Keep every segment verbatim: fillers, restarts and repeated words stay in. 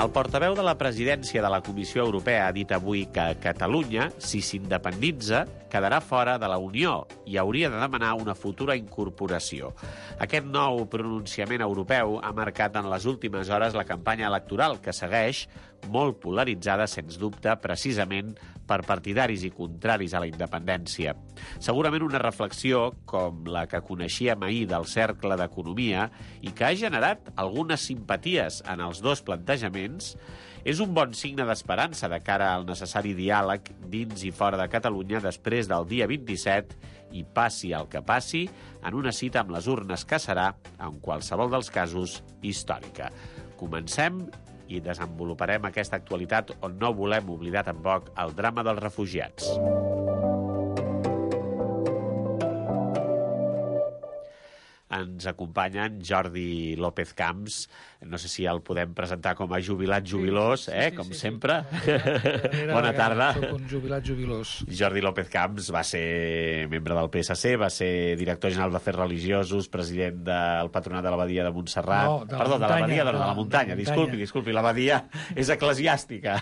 El portaveu de la presidència de la Comissió Europea ha dit avui que Catalunya, si s'independitza, quedarà fora de la Unió i hauria de demanar una futura incorporació. Aquest nou pronunciament europeu ha marcat en les últimes hores la campanya electoral, que segueix molt polaritzada, sens dubte, precisament per partidaris i contraris a la independència. Segurament una reflexió com la que coneixíem ahir del Cercle d'Economia i que ha generat algunes simpaties en els dos plantejaments, és un bon signe d'esperança de cara al necessari diàleg dins i fora de Catalunya després del dia vint-i-set i passi el que passi, en una cita amb les urnes que serà, en qualsevol dels casos, històrica. Comencem i desenvoluparem aquesta actualitat on no volem oblidar tampoc el drama dels refugiats. Ens acompanyen Jordi López Camps. No sé si el podem presentar com a jubilat jubilós, eh? Sí, sí, com sí, sempre. Sí. Bona tarda. Soc un jubilat jubilós. Jordi López Camps va ser membre del P S C, va ser director general d'Afers Religiosos, president del Patronat de l'Abadia de Montserrat. No, de la Perdó, muntanya, de l'Abadia, de, de de la la muntanya. muntanya. Disculpi, disculpi, l'Abadia és eclesiàstica.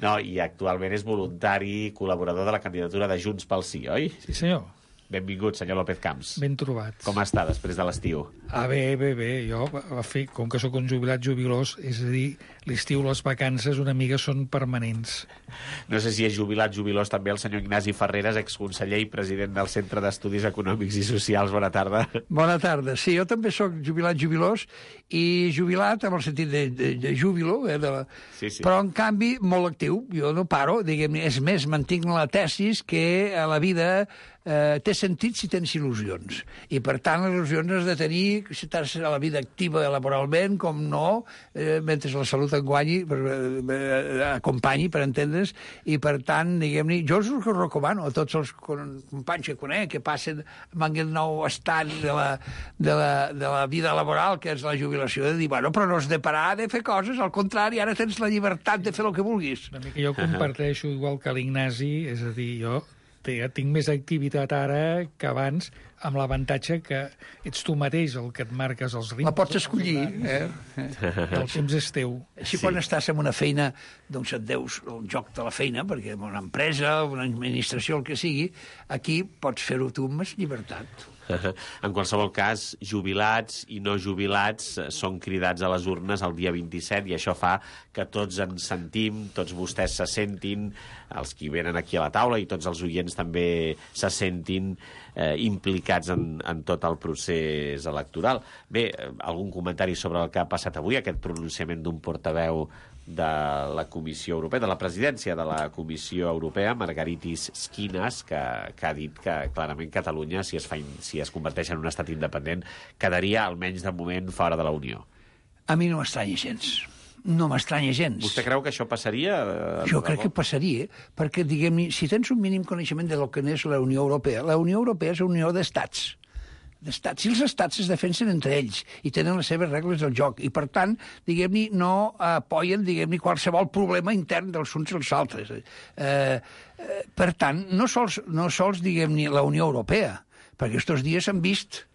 No, i actualment és voluntari, col·laborador de la candidatura de Junts pel Sí, oi? Sí, senyor. Benvingut, senyor López Camps. Ben trobat. Com està després de l'estiu? Ah, bé, bé, bé. Jo, a fer, com que sóc un jubilat jubilós, és a dir, l'estiu, les vacances, una mica són permanents. No sé si és jubilat jubilós també el senyor Ignasi Ferreres, exconseller i president del Centre d'Estudis Econòmics i Socials. Bona tarda. Bona tarda. Sí, jo també sóc jubilat jubilós i jubilat en el sentit de, de, de júbilo, eh, de la... Sí, sí. Però, en canvi, molt actiu. Jo no paro, diguem, és més, mantinc la tesis que a la vida eh, té sentit si tens il·lusions. I, per tant, les il·lusions has de tenir, si estàs a la vida activa laboralment, com no, eh, mentre la salut et guanyi, per, eh, acompanyi, per entendre's, i, per tant, diguem-ne, jo us ho recomano a tots els companys que conec, que passen amb aquest nou estat de la, de la, de la vida laboral, que és la jubilació, de dir, bueno, però no has de parar de fer coses, al contrari, ara tens la llibertat de fer el que vulguis. Una mica jo comparteixo igual que l'Ignasi, és a dir, jo tinc més activitat ara que abans, amb l'avantatge que ets tu mateix el que et marques els ritmes. La pots escollir, eh? El temps és teu. Així sí. Quan estàs en una feina, doncs et deus el joc de la feina, perquè en una empresa, una administració, el que sigui, aquí pots fer-ho tu amb més llibertat. En qualsevol cas, jubilats i no jubilats són cridats a les urnes el dia vint-i-set i això fa que tots ens sentim, tots vostès se sentin, els qui venen aquí a la taula i tots els oients també se sentin eh, implicats en, en tot el procés electoral. Bé, algun comentari sobre el que ha passat avui, aquest pronunciament d'un portaveu de la Comissió Europea, de la presidència de la Comissió Europea, Margaritis Schinas, que, que ha dit que clarament Catalunya, si es, fa, si es converteix en un estat independent, quedaria almenys de moment fora de la Unió. A mi no m'estranya gens. No m'estranya gens. Vostè creu que això passaria? Eh, jo crec que passaria, perquè, diguem-ne, si tens un mínim coneixement de lo que és la Unió Europea, la Unió Europea és una unió d'estats. d'estats. Si els estats es defensen entre ells i tenen les seves regles del joc i, per tant, diguem-ne, no apoyen, diguem-ne, qualsevol problema intern dels uns als altres. Eh, eh, per tant, no sols, no sols diguem-ne, la Unió Europea, perquè aquests dies s'han vist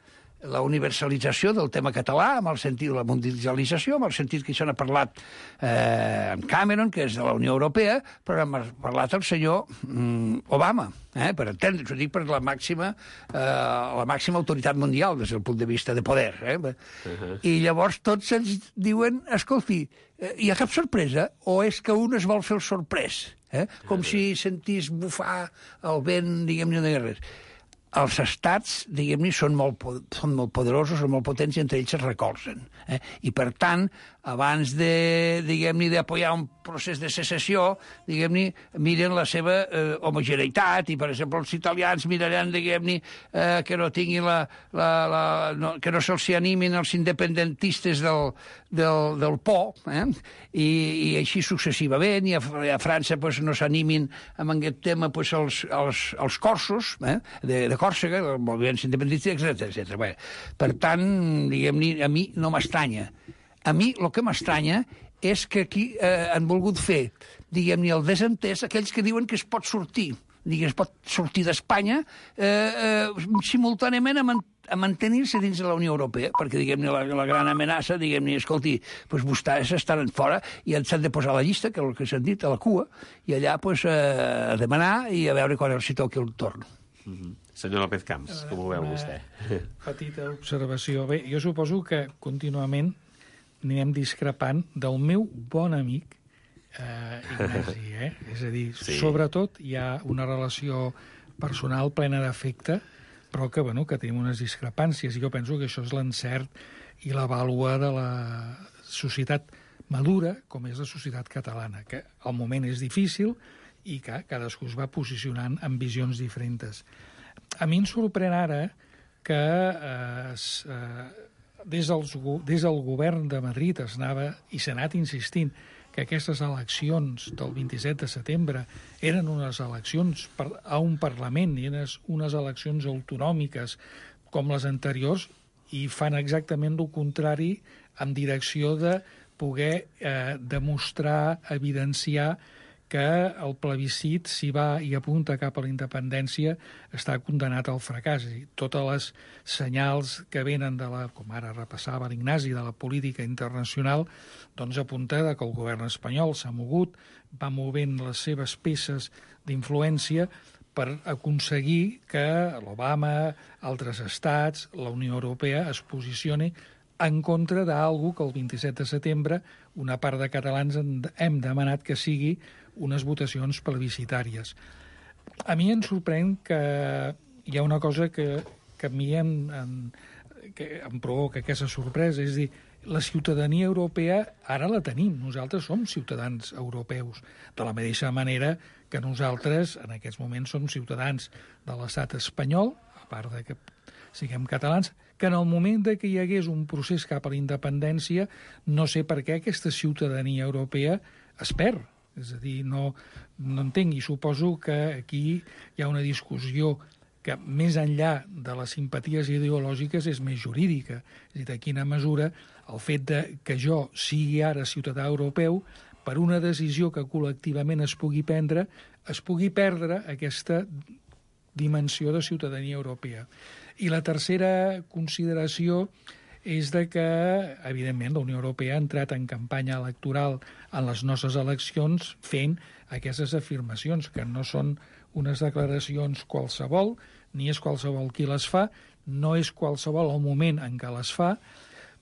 la universalització del tema català, amb el sentit de la mundialització, amb el sentit que això n'ha parlat eh, en Cameron, que és de la Unió Europea, però n'ha parlat el senyor mm, Obama, eh, per entendre's, ho dic per la màxima, eh, la màxima autoritat mundial des del punt de vista de poder. Eh? Uh-huh. I llavors tots ens diuen, escolti, eh, hi ha cap sorpresa o és que un es vol fer el sorprès? Eh? Com uh-huh. si sentís bufar el vent, diguem-ne, de res. Els estats, diguem-ne, són molt, són molt poderosos, són molt potents i entre ells es recolzen. Eh? I, per tant, abans de, diguem-ne, d'apoyar un procés de secessió, diguem-ne, miren la seva eh, homogeneïtat i, per exemple, els italians miraran, diguem-ne, eh, que no tinguin la... la, la no, que no se'ls animin els independentistes del, del, del Po, eh? I, i així successivament, i a, a França pues, no s'animin amb aquest tema pues, els, els, els corsos, eh? de, de Còrsega, del moviment independentista, etcètera etcètera. Bé, per tant, diguem-ne, a mi no m'estranya. A mi el que m'estranya és que aquí eh, han volgut fer, diguem-ne, el desentès, aquells que diuen que es pot sortir, diguem, es pot sortir d'Espanya eh, eh, simultàniament amb, a mantenir-se dins de la Unió Europea, perquè, diguem-ne, la, la gran amenaça, diguem-ne, escolti, doncs vostès estan fora i s'han de posar a la llista, que és el que s'han dit, a la cua, i allà, doncs, a demanar i a veure quan els hi toqui el torn. Mm-hmm. Senyor López Camps, com ho veu vostè? Petita observació. Bé, jo suposo que contínuament anirem discrepant del meu bon amic eh, Ignasi, eh? És a dir, sí. Sobretot hi ha una relació personal plena d'afecte, però que, bueno, que tenim unes discrepàncies, i jo penso que això és l'encert i la vàlua de la societat madura, com és la societat catalana, que al moment és difícil i que cadascú es va posicionant amb visions diferents. A mi em sorprèn ara que eh, eh, des, dels, des del govern de Madrid es anava i s'ha anat insistint que aquestes eleccions del vint-i-set de setembre eren unes eleccions per, a un Parlament i unes, unes eleccions autonòmiques com les anteriors, i fan exactament el contrari en direcció de poder eh, demostrar, evidenciar que el plebiscit, si va i apunta cap a la independència, està condenat al fracàs. I totes les senyals que venen de la, com ara repassava l'Ignasi, de la política internacional, doncs apunta que el govern espanyol s'ha mogut, va movent les seves peces d'influència per aconseguir que l'Obama, altres estats, la Unió Europea es posicioni en contra d'algú que el vint-i-set de setembre una part de catalans hem demanat que sigui unes votacions plebiscitàries. A mi em sorprèn que hi ha una cosa que, que a mi em, em, que em provoca aquesta sorpresa, és a dir, la ciutadania europea ara la tenim, nosaltres som ciutadans europeus, de la mateixa manera que nosaltres en aquests moments som ciutadans de l'estat espanyol, a part de que siguem catalans, que en el moment de que hi hagués un procés cap a la independència, no sé per què aquesta ciutadania europea es perd. És a dir, no, no entenc, i suposo que aquí hi ha una discussió que més enllà de les simpaties ideològiques és més jurídica. És a dir, de quina mesura el fet de que jo sigui ara ciutadà europeu, per una decisió que col·lectivament es pugui prendre, es pugui perdre aquesta dimensió de ciutadania europea. I la tercera consideració és de que, evidentment, la Unió Europea ha entrat en campanya electoral en les nostres eleccions fent aquestes afirmacions, que no són unes declaracions qualsevol, ni és qualsevol qui les fa, no és qualsevol el moment en què les fa,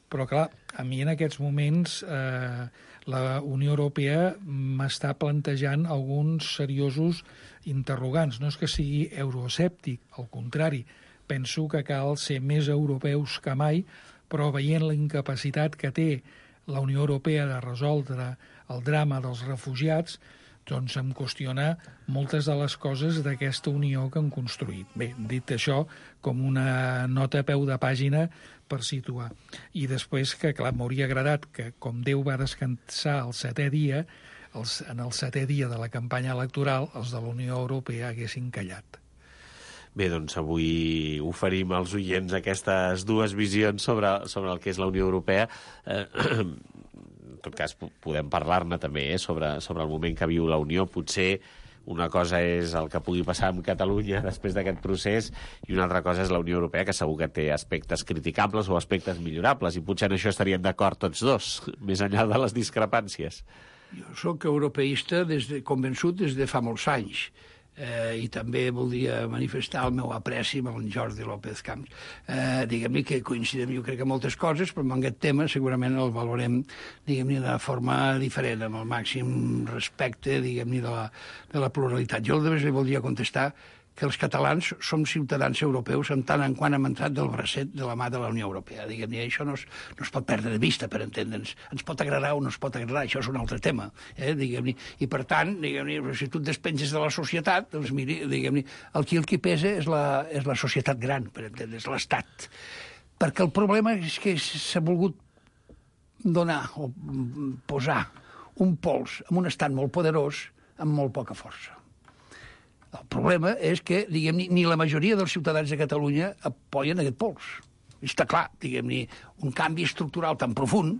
però, clar, a mi en aquests moments eh, la Unió Europea m'està plantejant alguns seriosos interrogants. No és que sigui euroescèptic, al contrari, penso que cal ser més europeus que mai, però veient la incapacitat que té la Unió Europea de resoldre el drama dels refugiats, doncs em qüestiona moltes de les coses d'aquesta unió que han construït. Bé, dit això, com una nota a peu de pàgina per situar. I després que, clar, m'hauria agradat que, com Déu va descansar el setè dia, els, en el setè dia de la campanya electoral, els de la Unió Europea haguessin callat. Bé, doncs avui oferim als oients aquestes dues visions sobre, sobre el que és la Unió Europea. Eh, en tot cas, podem parlar-ne també eh, sobre, sobre el moment que viu la Unió. Potser una cosa és el que pugui passar amb Catalunya després d'aquest procés i una altra cosa és la Unió Europea, que segur que té aspectes criticables o aspectes millorables, i potser en això estaríem d'acord tots dos, més enllà de les discrepàncies. Jo sóc europeista des de, convençut des de fa molts anys. Eh, i també voldria manifestar el meu apreci amb el Jordi López Camps. Eh, diguem-ne que coincidim, jo crec que moltes coses, però en aquest tema segurament el valorem, diguem-ne, de forma diferent, amb el màxim respecte, diguem-ne, de, la, de la pluralitat. Jo només li voldria contestar que els catalans som ciutadans europeus en tant en quant hem entrat del bracet de la mà de la Unió Europea. Diguem-ne, això no es, no es pot perdre de vista, per entendre'ns. Ens pot agradar o no es pot agradar, això és un altre tema. Eh? Diguem-ne. I, per tant, diguem-ne, si tu et despenges de la societat, doncs, miri, diguem-ne, el qui el qui pesa és la, és la societat gran, per entendre'ns, l'Estat. Perquè el problema és que s'ha volgut donar o posar un pols en un estat molt poderós amb molt poca força. El problema és que, diguem-ne, ni la majoria dels ciutadans de Catalunya apoyen aquest pols. Està clar, diguem-ne, un canvi estructural tan profund,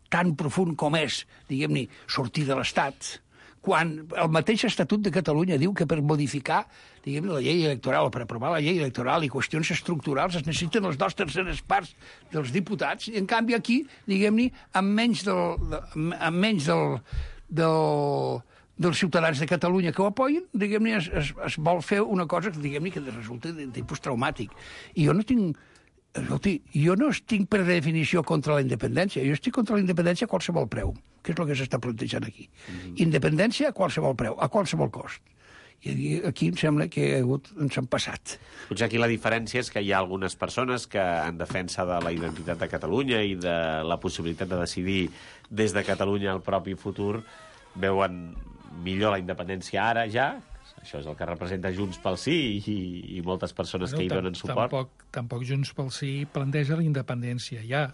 tan profund com és, diguem-ne, sortir de l'Estat, quan el mateix Estatut de Catalunya diu que per modificar, diguem, la llei electoral, o per aprovar la llei electoral i qüestions estructurals es necessiten les dues terceres parts dels diputats, i en canvi aquí, diguem-ne, amb menys del, amb menys del, del, dels ciutadans de Catalunya que ho apoyen, diguem-ne, es, es, es vol fer una cosa que, diguem-ne, que resulta de tipus traumàtic. I jo no tinc... Escolti, jo no estic per definició contra la independència, jo estic contra la independència a qualsevol preu, que és el que s'està plantejant aquí. Mm-hmm. Independència a qualsevol preu, a qualsevol cost. I aquí em sembla que ha hagut, ens han passat. Potser aquí la diferència és que hi ha algunes persones que, en defensa de la identitat de Catalunya i de la possibilitat de decidir des de Catalunya el propi futur, veuen millor la independència ara ja. Això és el que representa Junts pel Sí i, i moltes persones bueno, que hi donen suport. Tampoc, tampoc Junts pel Sí planteja la independència ja.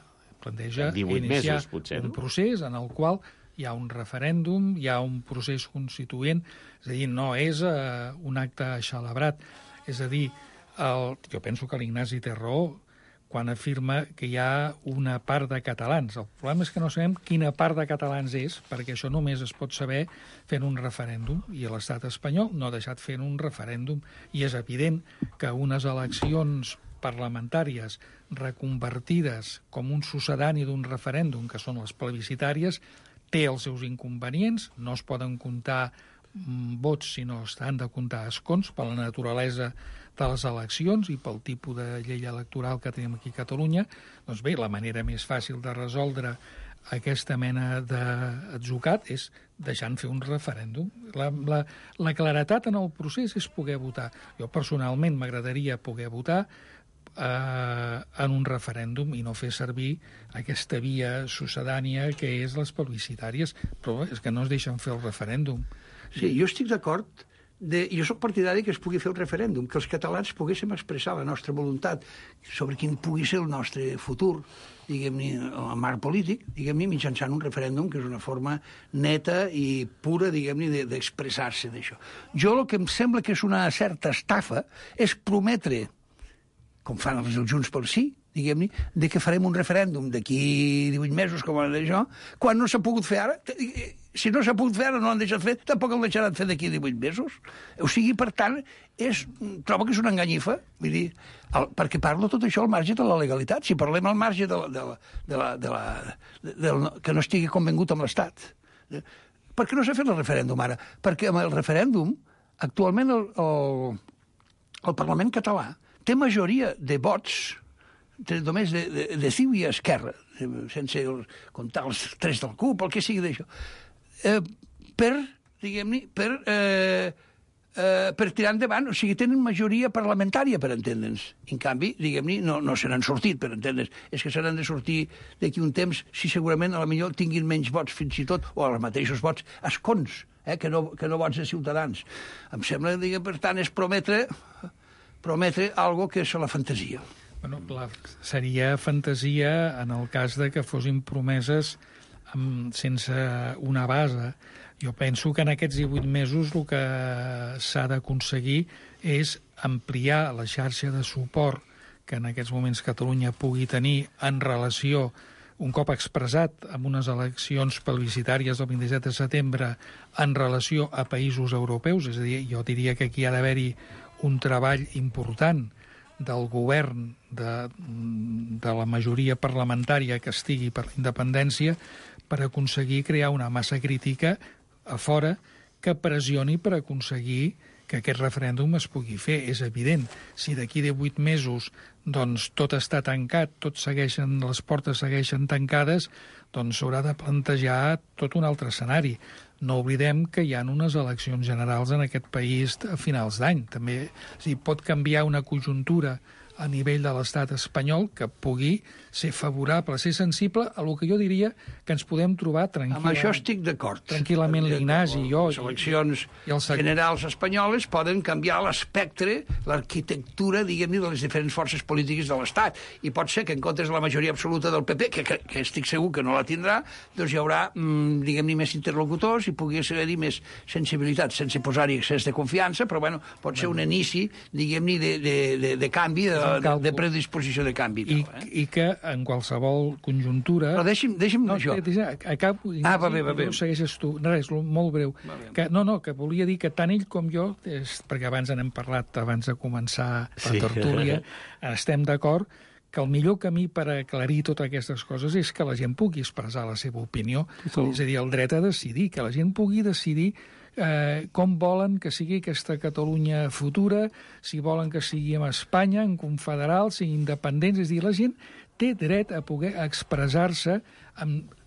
Planteja iniciar mesos, potser, un no? procés en el qual hi ha un referèndum, hi ha un procés constituent, és a dir, no és uh, un acte celebrat. És a dir, el, jo penso que l'Ignasi té raó quan afirma que hi ha una part de catalans. El problema és que no sabem quina part de catalans és, perquè això només es pot saber fent un referèndum, i l'estat espanyol no ha deixat fent un referèndum, i és evident que unes eleccions parlamentàries reconvertides com un succedani d'un referèndum, que són les plebiscitàries, té els seus inconvenients, no es poden comptar vots, sinó s'han de comptar escons per la naturalesa de les eleccions i pel tipus de llei electoral que tenim aquí a Catalunya. Doncs bé, la manera més fàcil de resoldre aquesta mena d'atzucat és deixant fer un referèndum. La, la, la claretat en el procés és poder votar. Jo personalment m'agradaria poder votar eh, en un referèndum i no fer servir aquesta via succedània que és les plebiscitàries, però és que no es deixen fer el referèndum. Sí, jo estic d'acord. De, jo sóc partidari que es pugui fer un referèndum, que els catalans poguéssim expressar la nostra voluntat sobre quin pugui ser el nostre futur, diguem-ne, el marc polític, diguem-ne, mitjançant un referèndum, que és una forma neta i pura, diguem-ne, d'expressar-se d'això. Jo el que em sembla que és una certa estafa és prometre, com fan els Junts pel Sí, diguem-ne, de que farem un referèndum d'aquí divuit mesos, com ara d'això, quan no s'ha pogut fer ara. Si no s'ha pogut fer ara, no l'han deixat fer, tampoc el deixaran fer d'aquí divuit mesos. O sigui, per tant, és, trobo que és una enganyifa, vull dir, el, perquè parlo tot això al marge de la legalitat. Si parlem al marge de la, de la, de la, de la, de, de la, que no estigui convengut amb l'Estat. Per què no s'ha fet el referèndum ara? Perquè amb el referèndum, actualment el, el, el Parlament català té majoria de vots només de, de, de ciu i esquerra, sense comptar els tres del C U P, el que sigui d'això, eh, per, diguem-ne, per, eh, eh, per tirar endavant. O sigui, tenen majoria parlamentària, per entendre'ns. En canvi, diguem-ne, no, no se n'han sortit, per entendre'ns. És que se n'han de sortir d'aquí un temps si segurament a la millor tinguin menys vots, fins i tot, o els mateixos vots, escons, eh, que, no, que no vots de ciutadans. Em sembla que, per tant, és prometre, prometre algo que és la fantasia. Bueno, la, seria fantasia en el cas de que fossin promeses amb, sense una base. Jo penso que en aquests divuit mesos el que s'ha d'aconseguir és ampliar la xarxa de suport que en aquests moments Catalunya pugui tenir en relació, un cop expressat amb unes eleccions plebiscitàries del vint-i-set de setembre, en relació a països europeus. És a dir, jo diria que aquí ha d'haver-hi un treball important del govern, de, de la majoria parlamentària que estigui per la independència, per aconseguir crear una massa crítica a fora que pressioni per aconseguir que aquest referèndum es pugui fer. És evident, si d'aquí a divuit mesos doncs, tot està tancat, tot segueixen, les portes segueixen tancades, doncs s'haurà de plantejar tot un altre escenari. No oblidem que hi ha unes eleccions generals en aquest país a finals d'any. També, és dir, pot canviar una conjuntura a nivell de l'estat espanyol que pugui ser favorable, ser sensible a el que jo diria que ens podem trobar tranquil·lament. Amb això estic d'acord. Tranquil·lament l'Ignasi i jo. Les eleccions i, i el... generals espanyoles poden canviar l'espectre, l'arquitectura, diguem-ne, de les diferents forces polítiques de l'Estat. I pot ser que en comptes de la majoria absoluta del P P, que, que, que estic segur que no la tindrà, doncs hi haurà, mmm, diguem-ne, més interlocutors i pugui ser-hi més sensibilitat, sense posar-hi excés de confiança, però bueno, pot ser un inici, diguem-ne, de, de, de, de canvi de de, de predisposició de canvi. I, tal, eh? I que en qualsevol conjuntura... Però deixi'm, deixi'm no, això. Acabo, ah, va bé, va bé. No segueixes tu. Res, molt breu. Que, no, no, que volia dir que tant ell com jo, és, perquè abans n'hem parlat, abans de començar la sí. tertúlia, estem d'acord que el millor camí per aclarir totes aquestes coses és que la gent pugui expressar la seva opinió. Sí. És a dir, el dret a decidir, que la gent pugui decidir eh, com volen que sigui aquesta Catalunya futura, si volen que sigui en Espanya, en confederal, si independents. És a dir, la gent té dret a poder expressar-se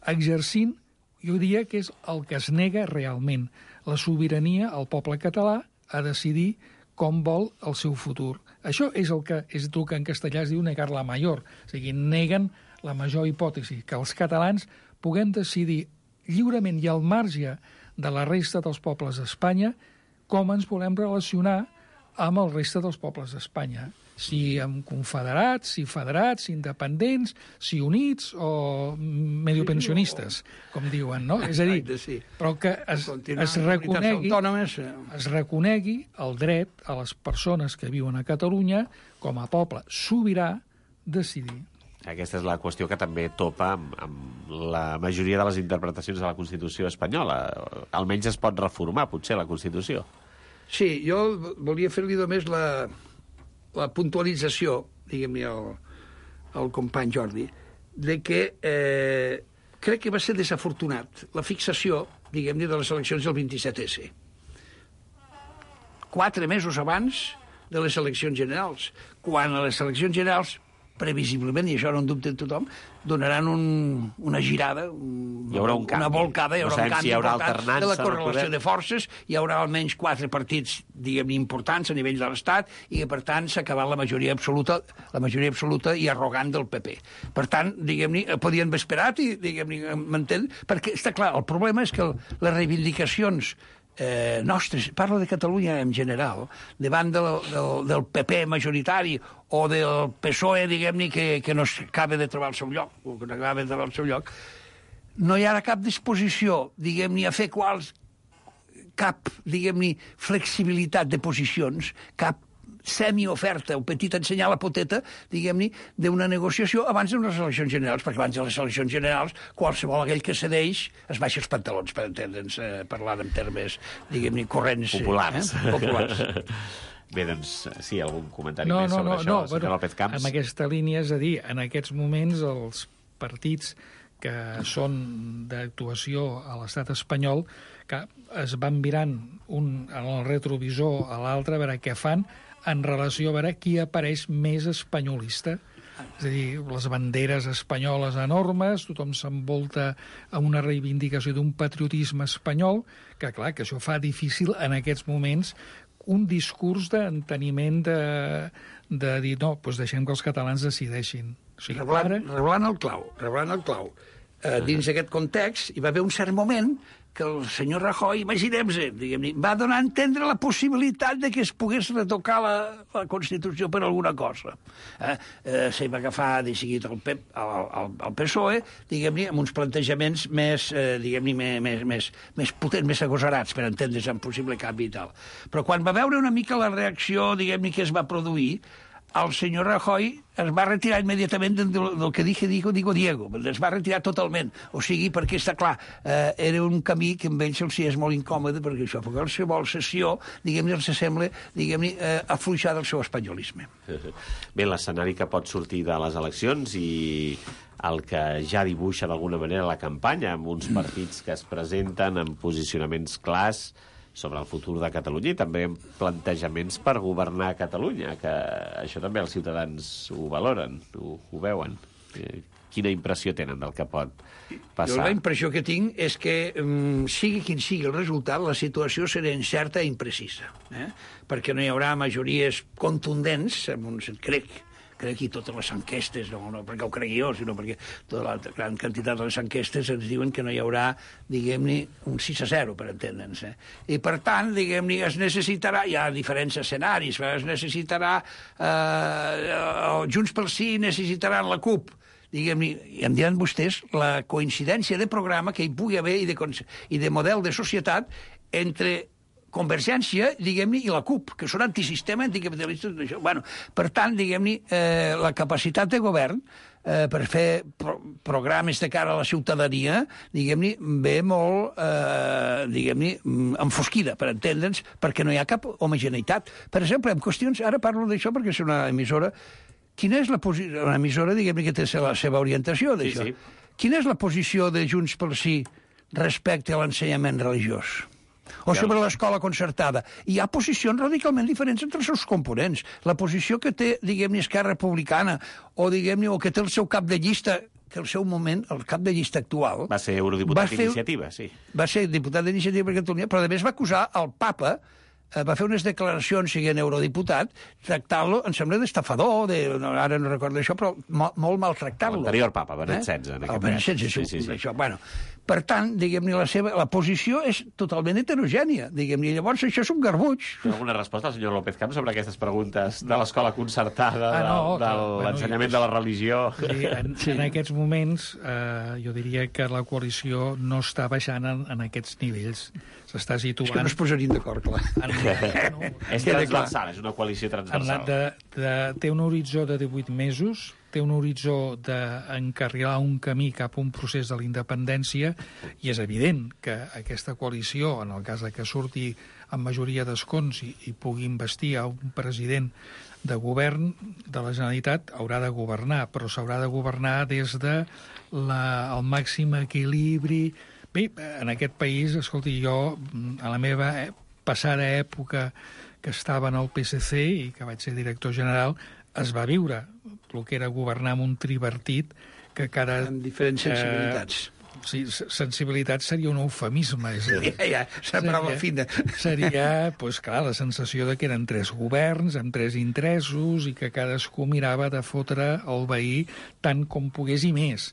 exercint, jo diria que és el que es nega realment, la sobirania al poble català a decidir com vol el seu futur. Això és el que és el que en castellà es diu negar la major, o sigui, neguen la major hipòtesi, que els catalans puguem decidir lliurement i al marge de la resta dels pobles d'Espanya com ens volem relacionar amb el resta dels pobles d'Espanya. Si amb confederats, si federats, si independents, si units o mediopensionistes, com diuen, no? És a dir, però que es, es, reconegui, es reconegui el dret a les persones que viuen a Catalunya com a poble sobirà decidir. Aquesta és la qüestió que també topa amb, amb la majoria de les interpretacions de la Constitució espanyola. Almenys es pot reformar, potser, la Constitució. Sí, jo volia fer-li només la, la puntualització, diguem-ne, al, al company Jordi, de que eh, crec que va ser desafortunat la fixació, diguem-ne, de les eleccions del vint-i-set esse. Quatre mesos abans de les eleccions generals, quan a les eleccions generals previsiblement, i això no en dubte tothom, donaran un, una girada, un, hi haurà un canvi. Una volcada, hi haurà no un canvi si hi haurà important de la correlació de forces, hi haurà almenys quatre partits, diguem-ne, importants a nivell de l'Estat, i que, per tant, s'ha acabat la majoria absoluta, la majoria absoluta i arrogant del P P. Per tant, diguem-ne, podien haver esperat i, diguem-ne, m'entén? Perquè, està clar, el problema és que les reivindicacions Eh, nostres, parlo de Catalunya en general, davant del, del, del P P majoritari o del P S O E, diguem-ne, que, que no acaba de trobar el seu lloc, o que no acaba de trobar el seu lloc, no hi ha cap disposició, diguem-ne, a fer quals, cap, diguem-ne, flexibilitat de posicions, cap semioferta o petit ensenyar la poteta, diguem-ne, d'una negociació abans d'unes eleccions generals, perquè abans de les eleccions generals qualsevol aquell que cedeix es baixa els pantalons, per entendre'ns, eh, parlant en termes, diguem-ne, corrents. Populars. Eh? Populars. Bé, doncs, sí, algun comentari no, més no, sobre no, això, no, senyor bueno, López Camps? En aquesta línia, és a dir, en aquests moments els partits que són d'actuació a l'estat espanyol, que es van mirant un en el retrovisor a l'altre a veure què fan en relació a veure qui apareix més espanyolista. És a dir, les banderes espanyoles enormes, tothom s'envolta a una reivindicació d'un patriotisme espanyol, que clar, que això fa difícil en aquests moments un discurs d'enteniment de, de dir, no, doncs deixem que els catalans decideixin. O sigui, reblant, ara... reblant el clau, reblant el clau. Eh, dins d'aquest context hi va haver un cert moment que el senyor Rajoy, imaginem-se, diguem-ne, va donar a entendre la possibilitat de que es pogués retocar la, la Constitució per alguna cosa. Eh? Eh, se va agafar de seguit el, P, el, el, el P S O E, diguem-ne, amb uns plantejaments més, eh, diguem-ne, més, més, més potents, més agosarats, per entendre's en possible canvi i tal. Però quan va veure una mica la reacció, diguem-ne, que es va produir, el senyor Rajoy es va retirar immediatament del, del que dije, digo, digo Diego. Es va retirar totalment. O sigui, perquè està clar, eh, era un camí que amb ells els és molt incòmode, perquè això, perquè qualsevol sessió, diguem-ne, els sembla, diguem-ne, eh, afluixar del seu espanyolisme. Bé, l'escenari que pot sortir de les eleccions i el que ja dibuixa d'alguna manera la campanya, amb uns partits que es presenten amb posicionaments clars sobre el futur de Catalunya i també plantejaments per governar Catalunya, que això també els ciutadans ho valoren, ho, ho veuen. Quina impressió tenen del que pot passar? Jo la impressió que tinc és que, um, sigui quin sigui el resultat, la situació serà incerta i imprecisa, eh? perquè no hi haurà majories contundents, en un sentit, crec, crec que totes les enquestes, no, no perquè ho cregui jo, sinó perquè tota la gran quantitat de les enquestes ens diuen que no hi haurà, diguem-ne, un sis a zero, per entendre'ns. Eh? I, per tant, diguem-ne, es necessitarà, hi ha diferents escenaris, es necessitarà, eh, Junts pel Sí necessitaran la CUP, diguem-ne, i em diran vostès la coincidència de programa que hi pugui haver i de, i de model de societat entre Convergència, diguem-ne, i la CUP, que són antisistema, anticapitalistes, això. Bueno, per tant, diguem-ne, eh, la capacitat de govern eh, per fer pro programes de cara a la ciutadania, diguem-ne, ve molt, eh, diguem-ne, enfosquida, per entendre'ns, perquè no hi ha cap homogeneïtat. Per exemple, en qüestions, ara parlo d'això perquè és una emissora, quina és la posició, una emissora, diguem-ne, que té la seva orientació d'això. Sí, sí. Quina és la posició de Junts pel Sí respecte a l'ensenyament religiós? O sobre l'escola concertada. Hi ha posicions radicalment diferents entre els seus components. La posició que té, diguem-ne, Esquerra Republicana, o, diguem-ne, o que té el seu cap de llista, que el seu moment, el cap de llista actual... Va ser eurodiputat d'Iniciativa, sí. Va ser diputat d'Iniciativa per Catalunya, però a més va acusar el papa, va fer unes declaracions, siguent eurodiputat, tractant-lo, em sembla, d'estafador, de, ara no recordo això, però molt maltractant-lo. L'anterior papa, Benet setze. El Benet setze, sí, sí, sí. Això. Bueno, per tant, diguem-ne, la seva la posició és totalment heterogènia, diguem-ne, llavors això és un garbuig. Té alguna resposta al senyor López Camps sobre aquestes preguntes de l'escola concertada, ah, no, de, de bueno, l'ensenyament bueno, de la religió? Sí, en, sí. en aquests moments, eh, jo diria que la coalició no està baixant en, en aquests nivells. S'està situant... És que no es posarien d'acord, clar. En, no, és transversal, és una coalició transversal. De, de, té un horitzó de divuit mesos, té un horitzó d'encarrilar un camí cap a un procés de la independència, i és evident que aquesta coalició, en el cas que surti amb majoria d'escons i, i pugui investir a un president de govern de la Generalitat, haurà de governar, però s'haurà de governar des de la, el màxim equilibri. Bé, en aquest país, escolti, jo, a la meva passada època que estava en el P S C i que vaig ser director general, es va viure el que era governar amb un tripartit que cada... Amb diferents sensibilitats. Eh, sí, sensibilitat seria un eufemisme. És ja, ja, sembrava fina. Seria, doncs clar, la sensació de que eren tres governs, amb tres interessos, i que cadascú mirava de fotre el veí tant com pogués i més.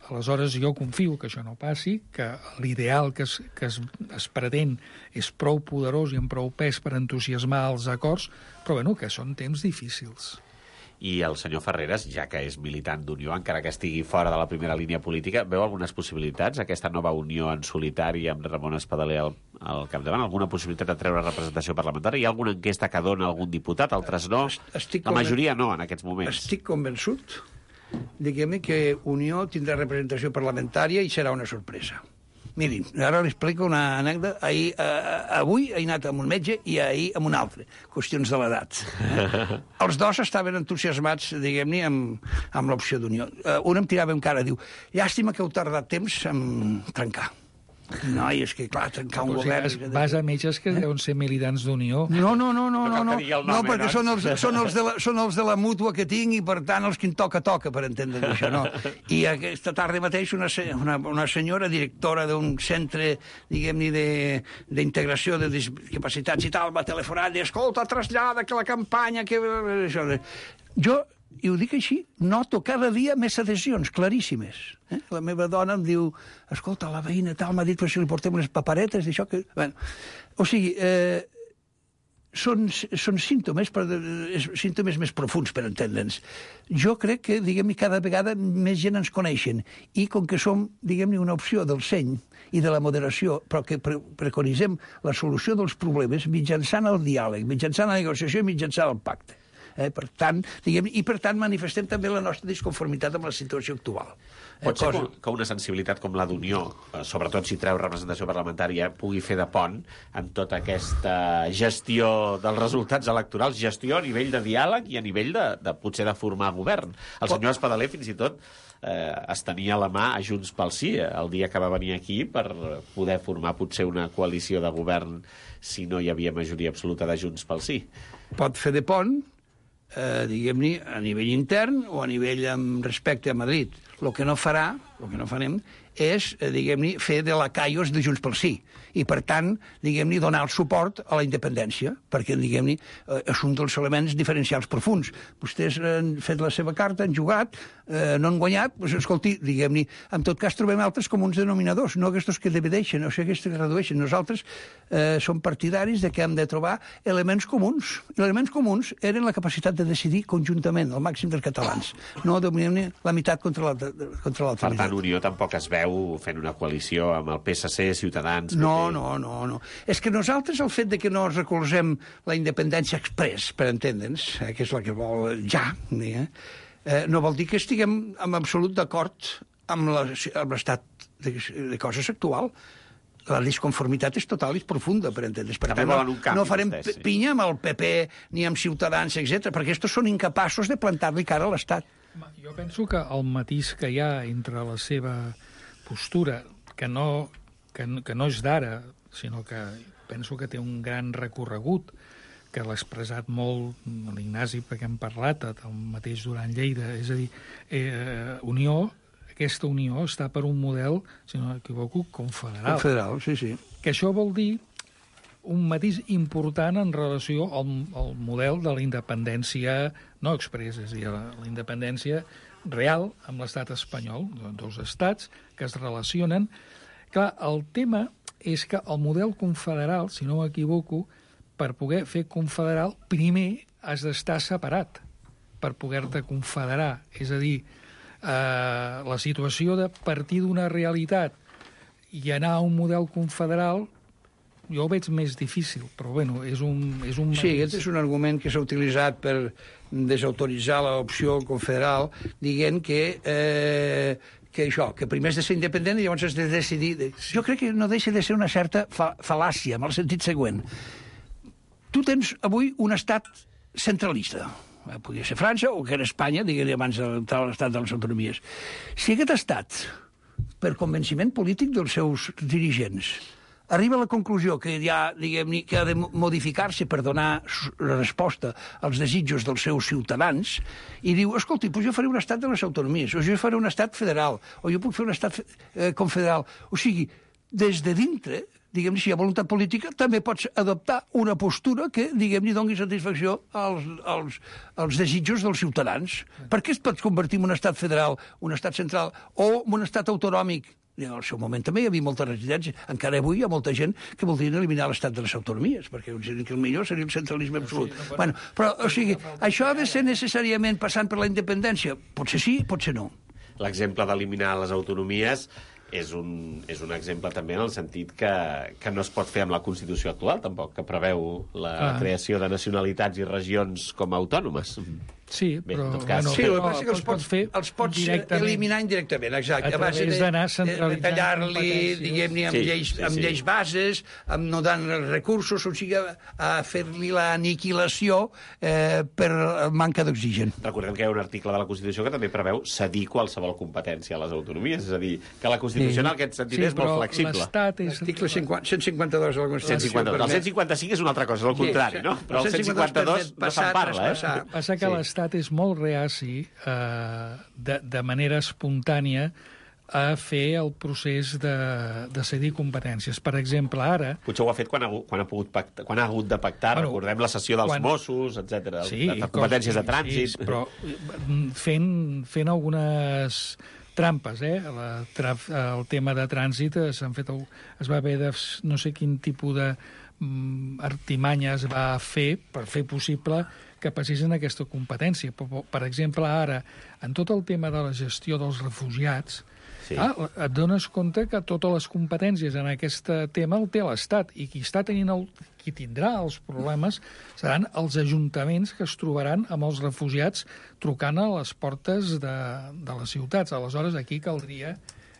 Aleshores, jo confio que això no passi, que l'ideal que, es, que es, es pretén és prou poderós i amb prou pes per entusiasmar els acords, però bueno, que són temps difícils. I el senyor Ferreras, ja que és militant d'Unió, encara que estigui fora de la primera línia política, veu algunes possibilitats, aquesta nova Unió en solitari amb Ramon Espadaler al, al capdavant? Alguna possibilitat de treure representació parlamentària? Hi ha alguna enquesta que dona algun diputat, altres no? Estic la majoria no, en aquests moments. Estic convençut, diguem-ne, que Unió tindrà representació parlamentària i serà una sorpresa. Mirin, ara li explico una anècdota. Ahir, eh, avui he anat amb un metge i ahir amb un altre. Qüestions de l'edat. Eh? Els dos estaven entusiasmats, diguem-ne, amb, amb l'opció d'Unió. Eh, un em tirava en cara, diu, llàstima que heu tardat temps en trencar. No, i és que, clar, trencar un o sigui, govern... Vas a metges que eh? deuen ser militants d'Unió. No, no, no, no, no, no, nom, no perquè eh, són els, són, els de la, són els de la mútua que tinc i, per tant, els que em toca, toca, per entendre això, no? I aquesta tarda mateix una, una, una senyora, directora d'un centre, diguem-ne, d'integració de, de discapacitats i tal, va telefonar i dir, escolta, trasllada que la campanya... que això... Jo... i ho dic així, noto cada dia més adhesions claríssimes. Eh? La meva dona em diu, escolta, la veïna tal m'ha dit que si li portem unes paperetes d'això que... Bueno, o sigui, eh, són, són símptomes, però, eh, símptomes més profuns, per entendre'ns. Jo crec que, diguem-ne, cada vegada més gent ens coneixen, i com que som, diguem-ne, una opció del seny i de la moderació, però que pre preconitzem la solució dels problemes mitjançant el diàleg, mitjançant la negociació i mitjançant el pacte. Eh, per tant, diguem, i per tant manifestem també la nostra disconformitat amb la situació actual. Eh, Pot ser cosa... que una sensibilitat com la d'Unió, sobretot si treu representació parlamentària, pugui fer de pont en tota aquesta gestió dels resultats electorals, gestió a nivell de diàleg i a nivell de, de potser de formar govern. El senyor Espadaler fins i tot eh, es tenia a la mà a Junts pel Sí el dia que va venir aquí per poder formar potser una coalició de govern si no hi havia majoria absoluta de Junts pel Sí. Pot fer de pont, Eh, diguem-ne, a nivell intern o a nivell amb respecte a Madrid. El que no farà, el que no farem, és, eh, diguem-ne, fer de lacaios de Junts pel Sí. I, per tant, diguem-ne, donar el suport a la independència, perquè, diguem-ne, eh, és un dels elements diferencials profuns. Vostès han fet la seva carta, han jugat, eh, no han guanyat, doncs, escolti, diguem-ne, en tot cas trobem altres comuns denominadors, no aquests que divideixen, o sigui, aquests que redueixen. Nosaltres eh, som partidaris de que hem de trobar elements comuns. I els elements comuns eren la capacitat de decidir conjuntament, al màxim dels catalans, no, diguem-ne, la meitat contra l'altra. Per tant, Unió tampoc es veu preveu fent una coalició amb el P S C, Ciutadans... No, no, no, no. És que nosaltres, el fet de que no recolzem la independència express, per entendre'ns, eh, que és la que vol ja, eh, eh, no vol dir que estiguem en absolut d'acord amb l'estat de, de coses actual. La disconformitat és total i és profunda, per entendre's. Per tant, no, no farem vostès, sí. pinya amb el P P ni amb Ciutadans, etcètera, perquè estos són incapaços de plantar-li cara a l'Estat. Jo penso que el matís que hi ha entre la seva postura, que no, que, que no és d'ara, sinó que penso que té un gran recorregut, que l'ha expressat molt l'Ignasi, perquè hem parlat, el mateix Duran Lleida, és a dir, eh, Unió, aquesta Unió està per un model, si no m'equivoco, confederal. Confederal, sí, sí. Que això vol dir un matís important en relació al, al model de la independència no express, és a dir, la, la independència real amb l'estat espanyol, dos estats que es relacionen. Clar, el tema és que el model confederal, si no m'equivoco, per poder fer confederal, primer has d'estar separat per poder-te confederar. És a dir, eh, la situació de partir d'una realitat i anar a un model confederal jo ho veig més difícil, però bueno, és un... És un... Sí, aquest és un argument que s'ha utilitzat per desautoritzar l'opció confederal, dient que, eh, que això, que primer has de ser independent i llavors has de decidir... Jo crec que no deixa de ser una certa fa fal·làcia, en el sentit següent. Tu tens avui un estat centralista, podria ser França o que era Espanya, diguem-ne abans de l'estat de les autonomies. Si aquest estat, per convenciment polític dels seus dirigents, arriba a la conclusió que, ja, diguem-ne, que ha de modificar-se per donar resposta als desitjos dels seus ciutadans i diu, escolti, doncs jo faré un estat de les autonomies, o jo faré un estat federal, o jo puc fer un estat eh, confederal. O sigui, des de dintre, diguem-ne, si hi ha voluntat política, també pots adoptar una postura que, diguem-ne, doni satisfacció als, als, als desitjos dels ciutadans. Per què es pot convertir en un estat federal, un estat central o en un estat autonòmic? I en el seu moment també hi havia molta resistència. Encara avui hi ha molta gent que voldrien eliminar l'estat de les autonomies, perquè que el millor seria el centralisme absolut. Sí, no, bueno, però, o sigui, això ha de ser necessàriament passant per la independència? Potser sí, potser no. L'exemple d'eliminar les autonomies és un, és un exemple també en el sentit que, que no es pot fer amb la Constitució actual, tampoc, que preveu la ah. creació de nacionalitats i regions com a autònomes. Sí, Bé, però... cas, bueno, sí, però, el que passa que els pots, fer els pots eliminar indirectament, exacte. A través d'anar centralitzant... Tallar-li, diguem-ne, amb, sí, lleis, sí, amb sí. lleis bases, amb no dant recursos, o sigui, a fer-li l'aniquilació eh, per manca d'oxigen. Recordem que hi ha un article de la Constitució que també preveu cedir qualsevol competència a les autonomies, és a dir, que la Constitució sí. en aquest sentit sí, és molt flexible. És... L'article cent cinquanta-dos de la Constitució. cent cinquanta-dos. El cent cinquanta-cinc és una altra cosa, és el contrari, no? Però el cent cinquanta-dos no se'n parla, eh? Passa que l'estat és molt reaci eh, de, de manera espontània a fer el procés de, de cedir competències. Per exemple, ara... Potser ho ha fet quan ha, quan ha, pogut pactar, quan ha hagut de pactar, bueno, recordem la sessió dels quan... Mossos, etcètera, sí, de, de competències de trànsit... Sí, però fent, fent algunes trampes, eh? La, tra, el tema de trànsit s'han fet... Es va haver de... no sé quin tipus de artimanya es va fer per fer possible que passessin aquesta competència. Per, per exemple, ara, en tot el tema de la gestió dels refugiats, sí. ah, et dones compte que totes les competències en aquest tema el té l'Estat, i qui està tenint el, qui tindrà els problemes seran els ajuntaments que es trobaran amb els refugiats trucant a les portes de, de les ciutats. Aleshores, aquí caldria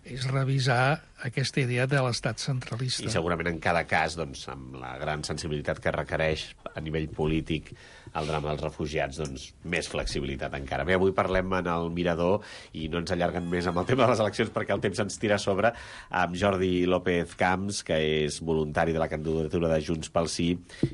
és revisar aquesta idea de l'estat centralista. I segurament en cada cas, doncs, amb la gran sensibilitat que requereix a nivell polític el drama dels refugiats, doncs, més flexibilitat encara. Bé, avui parlem en el Mirador i no ens allarguen més amb el tema de les eleccions perquè el temps ens tira a sobre, amb Jordi López Camps, que és voluntari de la candidatura de Junts pel Sí,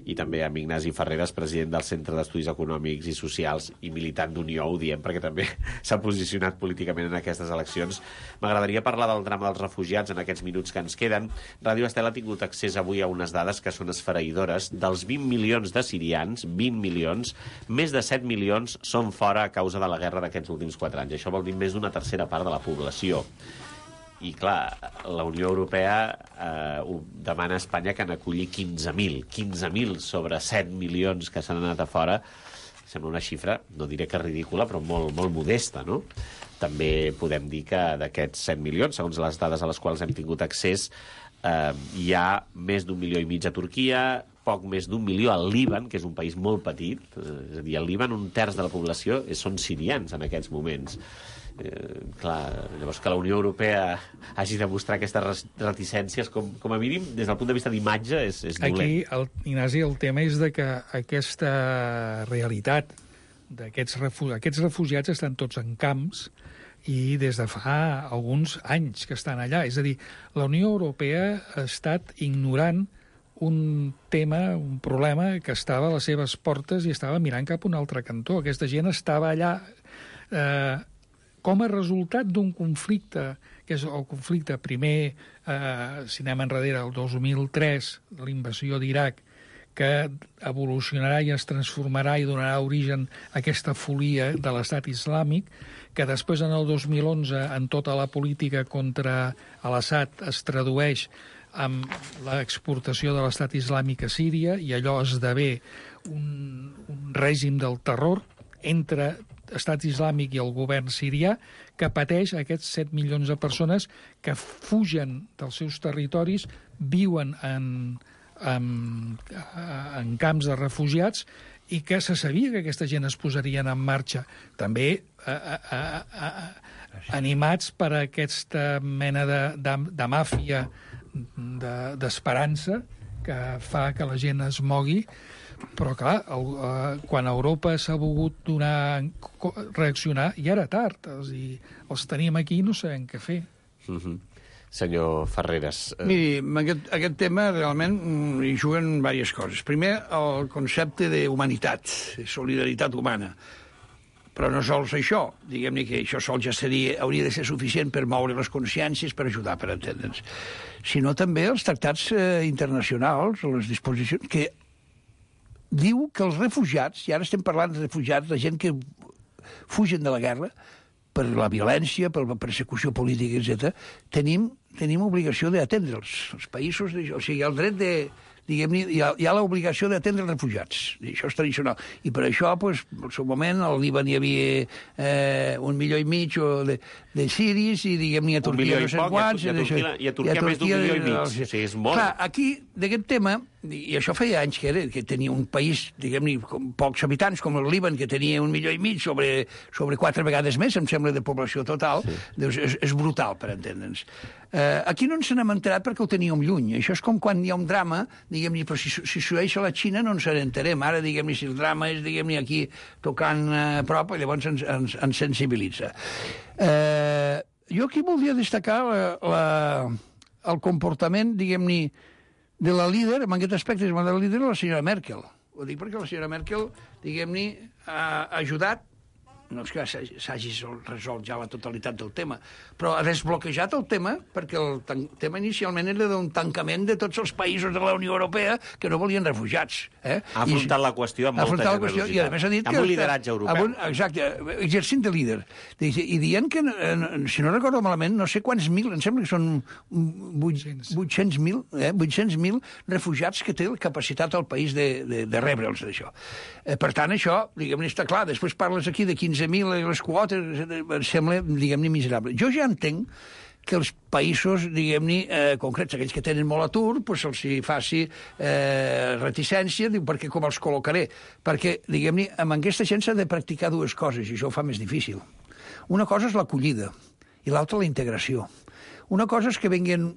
i també amb Ignasi Ferreres, president del Centre d'Estudis Econòmics i Socials i militant d'Unió, ho diem perquè també s'ha posicionat políticament en aquestes eleccions. M'agradaria parlar del drama dels refugiats en aquests minuts que ens queden. Ràdio Estel ha tingut accés avui a unes dades que són esfereïdores. Dels vint milions de sirians, vint milions, més de set milions són fora a causa de la guerra d'aquests últims quatre anys. Això vol dir més d'una tercera part de la població. I, clar, la Unió Europea eh, ho demana a Espanya que n'acolli quinze mil. quinze mil sobre set milions que s'han anat a fora. Sembla una xifra, no diré que ridícula, però molt, molt modesta, no? també podem dir que d'aquests set milions, segons les dades a les quals hem tingut accés, eh, hi ha més d'un milió i mig a Turquia, poc més d'un milió al Líban, que és un país molt petit. És a dir, al Líban un terç de la població són sirians en aquests moments. Eh, clar, llavors que la Unió Europea hagi de mostrar aquestes reticències, com, com a mínim, des del punt de vista d'imatge, és, és dolent. Aquí, el, Ignasi, el tema és de que aquesta realitat d'aquests refu aquests refugiats estan tots en camps i des de fa alguns anys que estan allà. És a dir, la Unió Europea ha estat ignorant un tema, un problema que estava a les seves portes i estava mirant cap a un altre cantó. Aquesta gent estava allà eh, com a resultat d'un conflicte, que és el conflicte primer, eh, si anem enrere, el dos mil tres, l'invasió d'Iraq, que evolucionarà i es transformarà i donarà origen a aquesta folia de l'estat islàmic, que després, en el dos mil onze, en tota la política contra l'Assad es tradueix amb l'exportació de l'estat islàmic a Síria, i allò esdevé un, un règim del terror entre estat islàmic i el govern sirià, que pateix aquests set milions de persones que fugen dels seus territoris, viuen en, en, en camps de refugiats, i que se sabia que aquesta gent es posarien en marxa. També a, a, a, a, animats per aquesta mena de, de, de màfia d'esperança que fa que la gent es mogui. Però, clar, el, uh, quan Europa s'ha volgut donar, reaccionar, ja era tard. És a dir, els tenim aquí i no sabem què fer. Mm-hmm. Senyor Ferreres. Eh... Miri, aquest, aquest tema realment hi juguen diverses coses. Primer, el concepte d'humanitat, de solidaritat humana. Però no sols això, diguem-ne que això sol ja seria, hauria de ser suficient per moure les consciències, per ajudar, per entendre'ns. Sinó també els tractats eh, internacionals, les disposicions, que diu que els refugiats, i ara estem parlant de refugiats, la gent que fugen de la guerra, per la violència, per la persecució política, etcètera, tenim, tenim obligació d'atendre'ls. Els països, o sigui, el dret de... diguem-ne, hi ha, hi ha l'obligació d'atendre els refugiats. I això és tradicional. I per això, pues, al seu moment, al Líban hi havia eh, un milió i mig de, de siris, i, diguem-ne, a Turquia no sé quants... I a Turquia, i a Turquia més d'un milió i mig. O sigui, és molt. Clar, aquí, d'aquest tema, i això feia anys que era, que tenia un país, diguem-ne, com pocs habitants, com el Líban, que tenia un milió i mig sobre, sobre quatre vegades més, em sembla, de població total, sí. Doncs és, és brutal, per entendre'ns. Eh, aquí no ens n'hem enterat perquè ho teníem lluny. Això és com quan hi ha un drama, diguem-ne, però si, si sueix a la Xina no ens n'enterem. Ara, diguem-ne, si el drama és, diguem-ne, aquí tocant a prop, llavors ens, ens, ens sensibilitza. Eh, jo aquí voldria destacar la, la, el comportament, diguem-ne, de la líder, en aquest aspecte, de la líder, la senyora Merkel. Ho dic perquè la senyora Merkel, diguem-ne, ha ajudat, no és que s'hagi resolt ja la totalitat del tema, però ha desbloquejat el tema, perquè el tema inicialment era d'un tancament de tots els països de la Unió Europea que no volien refugiats. Eh? Ha afrontat I, la qüestió amb molta generositat. I a més ha dit amb que... un lideratge europeu. Un, exacte, exercint de líder. I dient que, si no recordo malament, no sé quants mil, em sembla que són vuit-cents mil eh, vuit-cents mil refugiats que té la capacitat al país de, de, de rebre'ls, d'això. Eh, per tant, això, diguem-ne, està clar. Després parles aquí de quinze mil les quotes, em sembla, diguem-ne, miserable. Jo ja entenc que els països, diguem-ne, eh, concrets, aquells que tenen molt atur, pues se'ls faci eh, reticència, diu, perquè com els col·locaré? Perquè, diguem-ne, amb aquesta gent s'ha de practicar dues coses, i això ho fa més difícil. Una cosa és l'acollida, i l'altra la integració. Una cosa és que venguin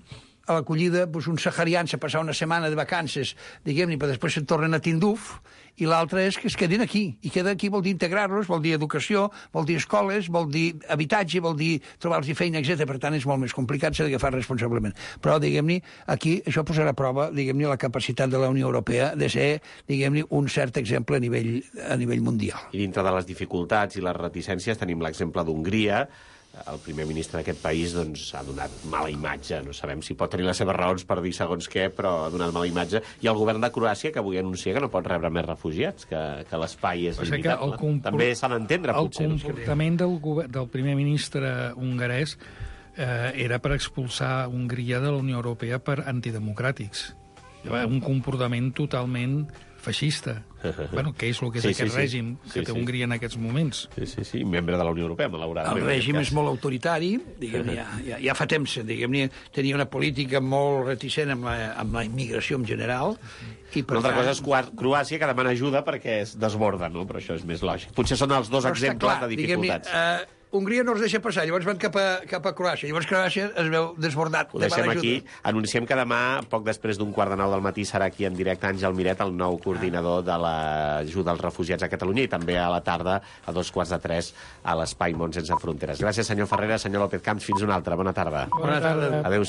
a l'acollida doncs, uns saharians a passar una setmana de vacances, diguem-ne, però després se'n tornen a Tinduf, i l'altra és que es quedin aquí. I quedar aquí vol dir integrar-los, vol dir educació, vol dir escoles, vol dir habitatge, vol dir trobar-los feina, etcètera. Per tant, és molt més complicat, s'ha d'agafar responsablement. Però, diguem-ne, aquí això posarà a prova, diguem-ne, la capacitat de la Unió Europea de ser, diguem-ne, un cert exemple a nivell, a nivell mundial. I dintre de les dificultats i les reticències tenim l'exemple d'Hongria. El primer ministre d'aquest país doncs, ha donat mala imatge. No sabem si pot tenir les seves raons per dir segons què, però ha donat mala imatge. I el govern de Croàcia, que avui anuncia que no pot rebre més refugiats, que, que l'espai és limitat. Compor... També s'ha d'entendre, potser. El comportament del, govern, del primer ministre hongarès eh, era per expulsar Hongria de la Unió Europea per antidemocràtics. un comportament totalment feixista. Bueno, què és el que és Sí, aquest sí, sí. règim que Sí, té sí. Hongria en aquests moments? Sí, sí, sí, membre de la Unió Europea, malauradament. El règim és molt autoritari, diguem, ja, ja, ja fa temps, diguem, tenia una política molt reticent amb la, amb la immigració en general. I per Una altra tant, cosa és Croà- Croàcia, que demana ajuda perquè es desborda, no? Però això és més lògic. Potser són els dos però està exemples clar, de diguem-ne, dificultats. eh, Hongria no els deixa passar, llavors van cap a, cap a Croàcia. Llavors Croàcia es veu desbordat. Ho deixem demana aquí. ajuda. Anunciem que demà, poc després d'un quart de nou del matí, serà aquí en directe Àngel Miret, el nou coordinador de l'ajuda als refugiats a Catalunya, i també a la tarda, a dos quarts de tres, a l'Espai Món Sense Fronteres. Gràcies, senyor Ferreira, senyor López Camps. Fins una altra. Bona tarda. Bona tarda. Adéu.